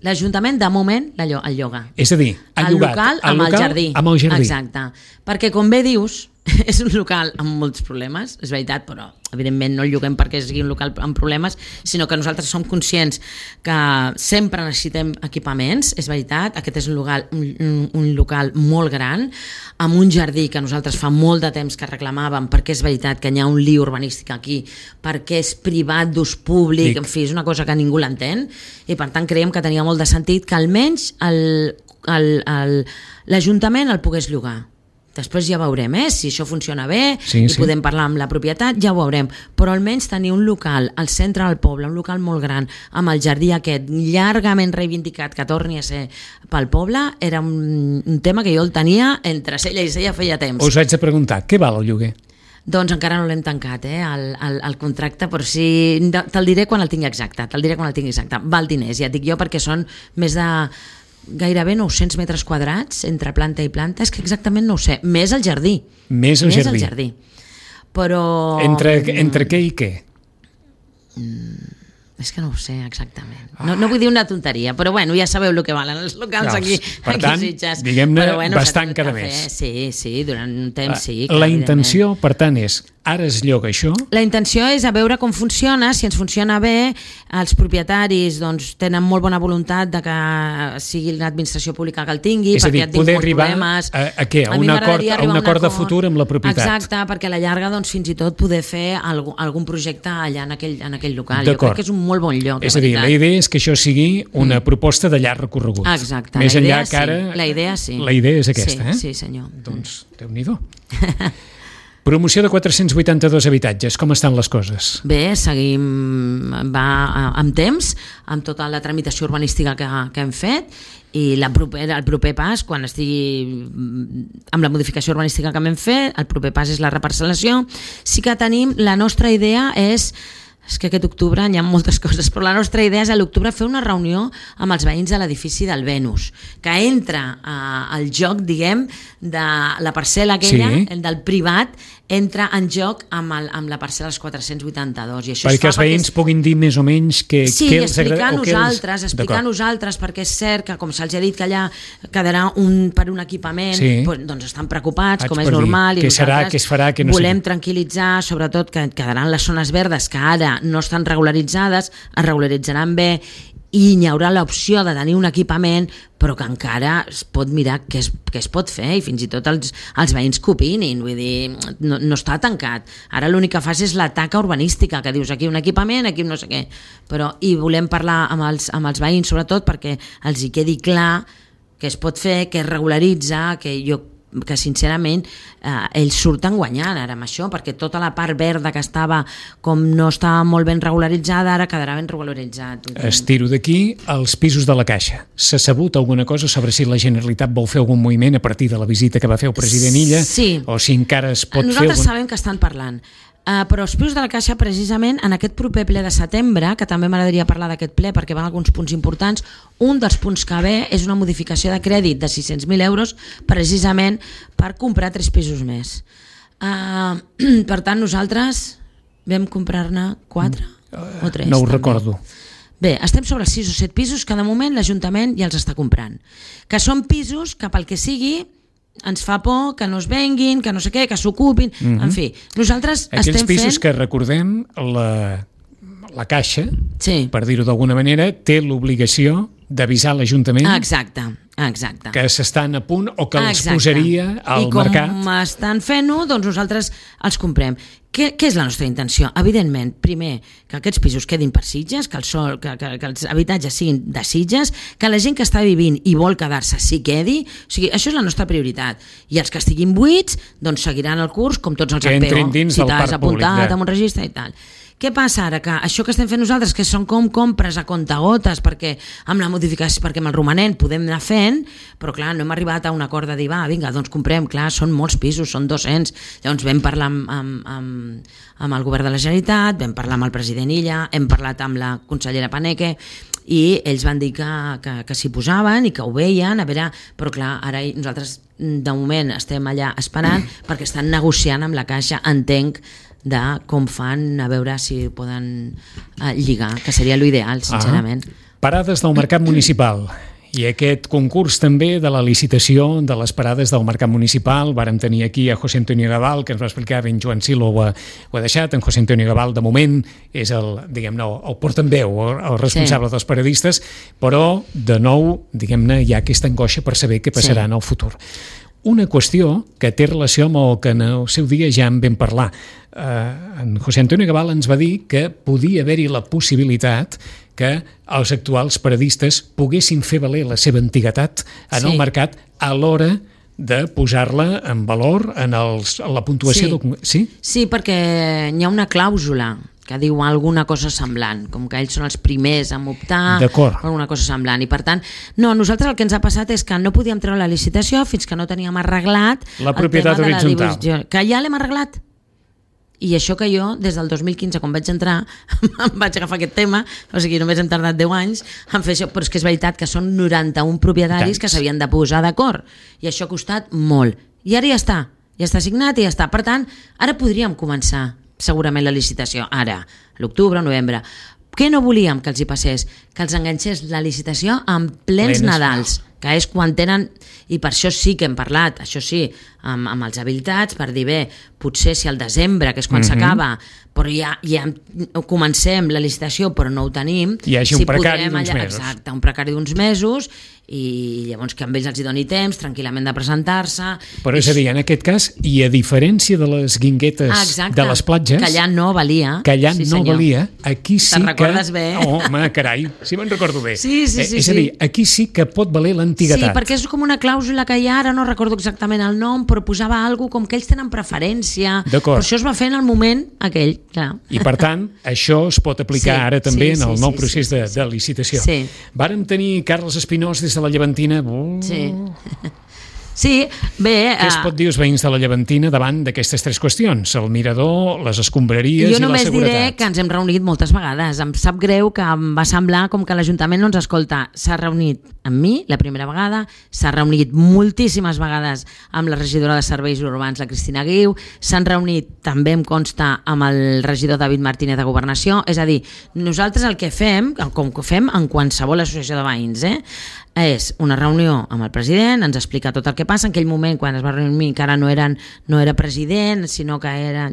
L'Ajuntament, de moment, el lloga. És a dir, ha el llogat local el amb local el jardí. amb el jardí. Exacte. Perquè, com bé dius, és un local amb molts problemes, és veritat, però evidentment no el lloguem perquè sigui un local amb problemes, sinó que nosaltres som conscients que sempre necessitem equipaments, és veritat, aquest és un local, un, un local molt gran, amb un jardí que nosaltres fa molt de temps que reclamàvem, perquè és veritat que hi ha un lío urbanístic aquí, perquè és privat d'ús públic, Dic. en fi, és una cosa que ningú l'entén, i per tant creiem que tenia molt de sentit que almenys el, el, el, l'Ajuntament el pogués llogar. Després ja veurem, eh? Si això funciona bé sí, i sí. podem parlar amb la propietat, ja ho veurem. Però almenys tenir un local al centre del poble, un local molt gran, amb el jardí aquest llargament reivindicat que torni a ser pel poble, era un, un tema que jo el tenia entre cella i cella feia temps. Us haig de preguntar, què val el lloguer? Doncs encara no l'hem tancat, eh, el, el, el contracte, però sí, te'l diré quan el tingui exacte, te'l diré quan el tingui exacte. Val diners, ja et dic jo, perquè són més de... gairebé nou-cents metres quadrats entre planta i planta, és que exactament no ho sé, més el jardí. Més el més jardí. El jardí. Però... Entre, entre què i què? Mm, és que no ho sé exactament. No, no vull dir una tonteria, però bueno, ja sabeu el que valen els locals Claus, aquí, per aquí tant, Sitges. diguem-ne, però, bueno, bastant cada mes. Sí, sí, durant un temps sí. La intenció, per tant, és Ara es lloga això? La intenció és a veure com funciona, si ens funciona bé, els propietaris doncs, tenen molt bona voluntat de que sigui l'administració pública que el tingui, és perquè a dir, ja et dic poder molts arribar problemes. A, a què? A, a un acord, a un acord de futur amb la propietat. Exacte, perquè a la llarga doncs, fins i tot poder fer algun, algun projecte allà en aquell, en aquell local. Jo crec que és un molt bon lloc. És a dir, la idea és que això sigui una mm. proposta de llarg recorregut. Exacte, Més la idea, enllà que ara, sí. La idea sí. La idea és aquesta, sí, eh? Sí, senyor. Doncs, Déu-n'hi-do. Promoció de quatre-cents vuitanta-dos habitatges, com estan les coses? Bé, seguim va amb temps, amb tota la tramitació urbanística que, que hem fet, i la proper, el proper pas, quan estigui amb la modificació urbanística que hem fet, el proper pas és la reparcel·lació. Sí que tenim, la nostra idea és és que aquest octubre hi ha moltes coses, però la nostra idea és a l'octubre fer una reunió amb els veïns de l'edifici del Venus, que entra eh, al joc, diguem, de la parcel·la aquella, sí. del privat, entra en joc amb, el, amb la parcel·la dels quatre-cents vuitanta-dos. I això perquè els veïns perquè... puguin dir més o menys que, sí, què els agrada. Sí, explicar nosaltres, explicar nosaltres, perquè és cert que, com se'ls ha dit que allà quedarà un, per un equipament, sí. doncs estan preocupats, Vaig com és normal, i serà, nosaltres es farà, no volem sé. tranquil·litzar, sobretot que quedaran les zones verdes que ara no estan regularitzades, es regularitzaran bé, i hi haurà l'opció de tenir un equipament, però que encara es pot mirar què es, què es pot fer, i fins i tot els, els veïns que opinin, vull dir, no, no està tancat. Ara l'únic que fas és la taca urbanística, que dius aquí un equipament, aquí un no sé què, però i volem parlar amb els, amb els veïns, sobretot perquè els hi quedi clar que es pot fer, que es regularitza, que jo que sincerament eh, ells surten guanyant ara amb això, perquè tota la part verda que estava com no estava molt ben regularitzada, ara quedarà ben regularitzat. Estiro d'aquí els pisos de la Caixa. S'ha sabut alguna cosa sobre si la Generalitat vol fer algun moviment a partir de la visita que va fer el president Illa? Sí. O si encara es pot Nosaltres fer... Nosaltres algun... sabem que estan parlant. Uh, però els pisos de la Caixa, precisament, en aquest proper ple de setembre, que també m'agradaria parlar d'aquest ple perquè van alguns punts importants, un dels punts que ve és una modificació de crèdit de sis-cents mil euros precisament per comprar tres pisos més. Uh, per tant, nosaltres vam comprar-ne quatre uh, o tres. No ho també. recordo. Bé, estem sobre els sis o set pisos que de moment l'Ajuntament ja els està comprant. Que són pisos que pel que sigui ens fa por que no es venguin, que no sé què, que s'ocupin, mm-hmm. en fi. Nosaltres Aquells estem fent... Aquells pisos que recordem, la, la Caixa, sí. per dir-ho d'alguna manera, té l'obligació d'avisar l'Ajuntament exacte, exacte. que s'estan a punt o que els exacte. posaria al mercat. I com estan fent-ho, doncs nosaltres els comprem. Què, què és la nostra intenció? Evidentment, primer, que aquests pisos quedin per Sitges, que, el sol, que, que, que els habitatges siguin de Sitges, que la gent que està vivint i vol quedar-se s'hi quedi. O sigui, això és la nostra prioritat. I els que estiguin buits, doncs seguiran el curs com tots els que P O, dins si del t'has apuntat públic, amb un registre i tal. Què passa ara? Que això que estem fent nosaltres, que són com compres a comptagotes, perquè amb la modificació, perquè amb el romanent podem anar fent, però clar, no hem arribat a un acord de dir, va, vinga, doncs comprem, clar, són molts pisos, són dos-cents, llavors vam parlar amb, amb, amb, amb el govern de la Generalitat, vam parlar amb el president Illa, hem parlat amb la consellera Paneque, i ells van dir que, que, que s'hi posaven i que ho veien, a veure, però clar, ara nosaltres de moment estem allà esperant perquè estan negociant amb la Caixa, entenc, de com fan, a veure si poden eh, lligar, que seria l'ideal, sincerament. Ah, parades del mercat municipal. I aquest concurs també de la licitació de les parades del mercat municipal. Vàrem tenir aquí a José Antonio Gabal, que ens va explicar, ben Joan Silo ho ha, ho ha deixat. En José Antonio Gabal, de moment, és el, diguem-ne, el portaveu, el responsable sí. dels paradistes, però, de nou, diguem-ne, hi ha aquesta angoixa per saber què passarà sí. en el futur. Una qüestió que té relació amb el que en el seu dia ja en vam parlar. Uh, en José Antonio Gabal ens va dir que podia haver-hi la possibilitat que els actuals paradistes poguessin fer valer la seva antiguitat en sí. el mercat a l'hora de posar-la en valor en, els, en la puntuació. Sí. Del... sí? Sí, perquè hi ha una clàusula que diu alguna cosa semblant, com que ells són els primers a optar per alguna cosa semblant. I per tant, no, nosaltres el que ens ha passat és que no podíem treure la licitació fins que no teníem arreglat la propietat el tema horitzontal. De la divisió, que ja l'hem arreglat. I això que jo, des del dos mil quinze, quan vaig entrar, em vaig agafar aquest tema, o sigui, només hem tardat deu anys en fer això, però és que és veritat que són noranta-un propietaris Tants. que s'havien de posar d'acord, i això ha costat molt. I ara ja està, ja està signat i ja està. Per tant, ara podríem començar segurament la licitació, ara, l'octubre, novembre. Què no volíem que els hi passés? Que els enganxés la licitació en plens Plenes. Nadals. que és quan tenen, i per això sí que hem parlat, això sí, amb, amb els habilitats, per dir, bé, potser si al desembre, que és quan mm-hmm. s'acaba, però ja, ja comencem la licitació però no ho tenim, hi hagi si un precari d'uns allà, mesos. Exacte, un precari d'uns mesos, i llavors que amb ells els hi doni temps tranquil·lament de presentar-se. Però és a dir, en aquest cas, i a diferència de les guinguetes ah, exacte, de les platges, que allà no valia, que allà sí, no senyor. valia, aquí sí Te'n que... recordes bé? Oh, home, carai, si me'n recordo bé. Sí, sí, sí. Eh, és a dir, aquí sí que pot valer l'antiguitat. Sí, perquè és com una clàusula que hi ha, ara no recordo exactament el nom, però posava alguna com que ells tenen preferència. D'acord. Per això es va fer en el moment aquell, clar. I per tant, això es pot aplicar sí, ara també sí, en el sí, nou sí, procés sí, de, sí. de licitació. Sí. Vàrem tenir Carles Espinós des de la Llevantina. Oh. Sí. Sí, bé... Què es pot dir els veïns de la Llevantina davant d'aquestes tres qüestions? El mirador, les escombraries i la seguretat. Jo només diré que ens hem reunit moltes vegades. Em sap greu que em va semblar com que l'Ajuntament no ens escolta. S'ha reunit amb mi la primera vegada, s'ha reunit moltíssimes vegades amb la regidora de Serveis Urbans, la Cristina Guiu, s'han reunit, també em consta, amb el regidor David Martínez de Governació. És a dir, nosaltres el que fem, com que fem en qualsevol associació de veïns, eh, és una reunió amb el president, ens explica tot el que passa. En aquell moment, quan es va reunir, encara no, eren, no era president, sinó que era...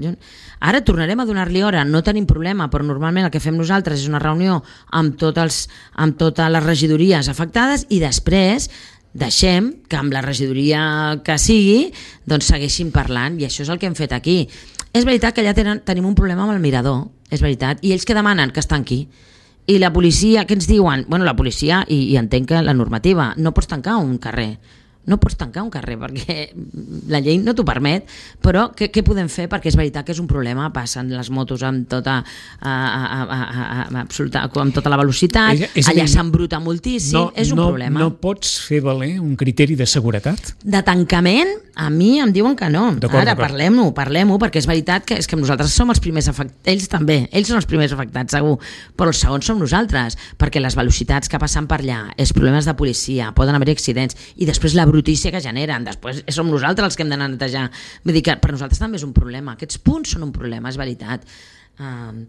Ara tornarem a donar-li hora, no tenim problema, però normalment el que fem nosaltres és una reunió amb, tot els, amb totes les regidories afectades i després deixem que amb la regidoria que sigui doncs segueixin parlant, i això és el que hem fet aquí. És veritat que allà tenen, tenim un problema amb el mirador, és veritat, i ells que demanen que estan aquí. I la policia, què ens diuen? Bueno, la policia, i, i entenc que la normativa, no pots tancar un carrer, no pots tancar un carrer perquè la llei no t'ho permet, però què, què podem fer? Perquè és veritat que és un problema, passen les motos amb tota, a, a, a, a, a, absoluta, amb tota la velocitat, és, és allà s'embruta moltíssim, no, és un no, problema. No pots fer valer un criteri de seguretat? De tancament, a mi em diuen que no. Ara parlem-ho, parlem-ho, perquè és veritat que és que nosaltres som els primers afectats, ells també, ells són els primers afectats, segur, però els segons som nosaltres, perquè les velocitats que passen per allà, els problemes de policia, poden haver accidents, i després la brutícia que generen, després som nosaltres els que hem d'anar a netejar. Vull dir que per nosaltres també és un problema, aquests punts són un problema, és veritat. Uh,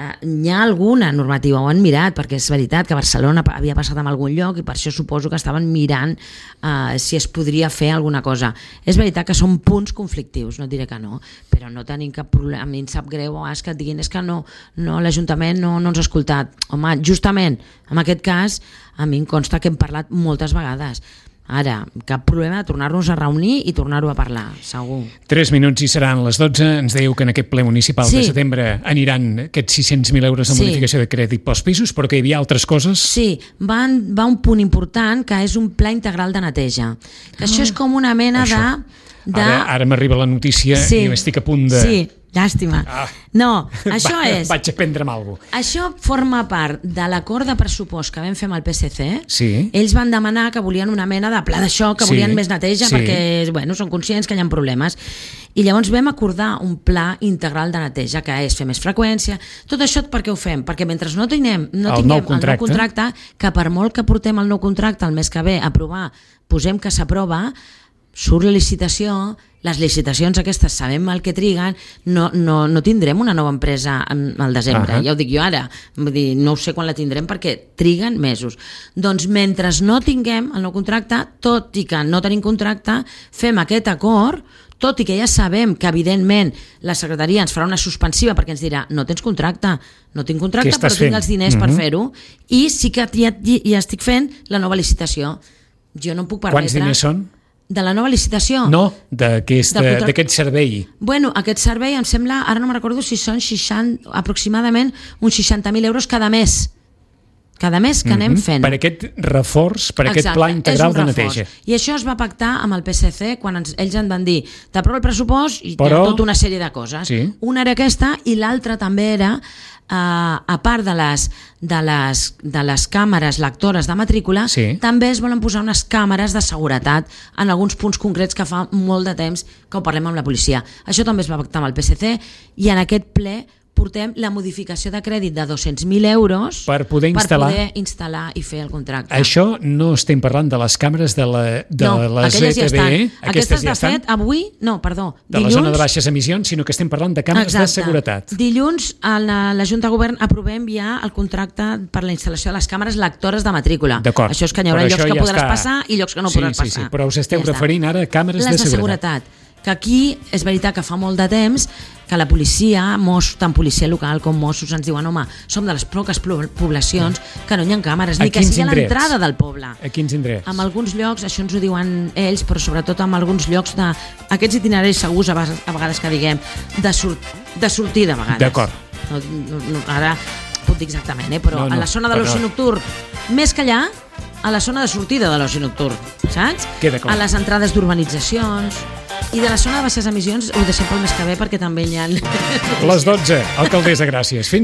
uh, hi ha alguna normativa, ho han mirat, perquè és veritat que Barcelona havia passat en algun lloc i per això suposo que estaven mirant uh, si es podria fer alguna cosa. És veritat que són punts conflictius, no et diré que no, però no tenim cap problema. A mi em sap greu és que et diguin és que no, no l'Ajuntament no, no ens ha escoltat. Home, justament en aquest cas a mi em consta que hem parlat moltes vegades. Ara, cap problema de tornar-nos a reunir i tornar-ho a parlar, segur. Tres minuts i seran les dotze. Ens dèieu que en aquest ple municipal sí. de setembre aniran aquests sis-cents mil euros de sí. modificació de crèdit pels pisos, però que hi havia altres coses? Sí, va, va un punt important que és un pla integral de neteja. Que ah, això és com una mena això. de... de... Ara, ara m'arriba la notícia sí. i estic a punt de... Sí, llàstima. Ah. No, això va, és... Vaig a prendre'm alguna cosa. Això forma part de l'acord de pressupost que vam fer amb el P S C. Sí. Ells van demanar que volien una mena de pla de xoc, que sí. volien més neteja, sí. perquè bueno, són conscients que hi ha problemes. I llavors vam acordar un pla integral de neteja, que és fer més freqüència. Tot això per què ho fem? Perquè mentre no tinguem, no el, tinguem nou contracte. el nou contracte, que per molt que portem el nou contracte el mes que ve a aprovar, posem que s'aprova, surt la licitació, les licitacions aquestes sabem el que triguen, no, no, no tindrem una nova empresa al desembre, uh-huh. ja ho dic jo ara, vull dir, no ho sé quan la tindrem perquè triguen mesos. Doncs mentre no tinguem el nou contracte, tot i que no tenim contracte, fem aquest acord, tot i que ja sabem que evidentment la secretaria ens farà una suspensiva perquè ens dirà no tens contracte, no tinc contracte però tinc els diners uh-huh. per fer-ho, i sí que ja, ja estic fent la nova licitació. Jo no em puc permetre... Quants diners són? De la nova licitació? No, d'aquest contract... servei. Bueno, aquest servei em sembla, ara no me'n recordo si són seixanta, aproximadament uns seixanta mil euros cada mes. Cada mes que mm-hmm. anem fent. Per aquest reforç, per Exacte, aquest pla integral de neteja. I això es va pactar amb el P S C quan ens, ells ens van dir t'aprovo el pressupost i Però... tota una sèrie de coses. Sí. Una era aquesta i l'altra també era Uh, a part de les, de, les, de les càmeres lectores de matrícula, sí. també es volen posar unes càmeres de seguretat en alguns punts concrets que fa molt de temps que ho parlem amb la policia. Això també es va pactar amb el P S C i en aquest ple portem la modificació de crèdit de dos-cents mil euros per poder instal·lar, per poder instal·lar i fer el contracte. Això no estem parlant de les càmeres de la, de no, la aquelles Z T B. Ja estan. Aquestes, ja de estan. fet, avui, no, perdó, de dilluns... la zona de baixes emissions, sinó que estem parlant de càmeres Exacte. de seguretat. Dilluns a la, la Junta de Govern aprovem ja el contracte per la instal·lació de les càmeres lectores de matrícula. D'acord. Això és que hi haurà Però llocs que ja podràs està. passar i llocs que no sí, podràs sí, passar. Sí, però us esteu ja referint està. ara a càmeres les de, de seguretat. seguretat. Que aquí és veritat que fa molt de temps que la policia, Mossos, tant policia local com Mossos, ens diuen, home, som de les poques poblacions que no hi ha càmeres, ni que sigui a l'entrada del poble. A quins indrets? En alguns llocs, això ens ho diuen ells, però sobretot en alguns llocs de aquests itineraris segurs, a vegades, a vegades que diguem, de, sur de sortida, a vegades. D'acord. No, no, no, ara puc dir exactament, eh? però no, no, a la zona de l'oci nocturn, més que allà, a la zona de sortida de l'oci nocturn, saps? Queda clar. A les entrades d'urbanitzacions i de la zona de baixes emissions ho deixem pel mes que ve perquè també hi ha... Les dotze, alcaldessa, gràcies. Fins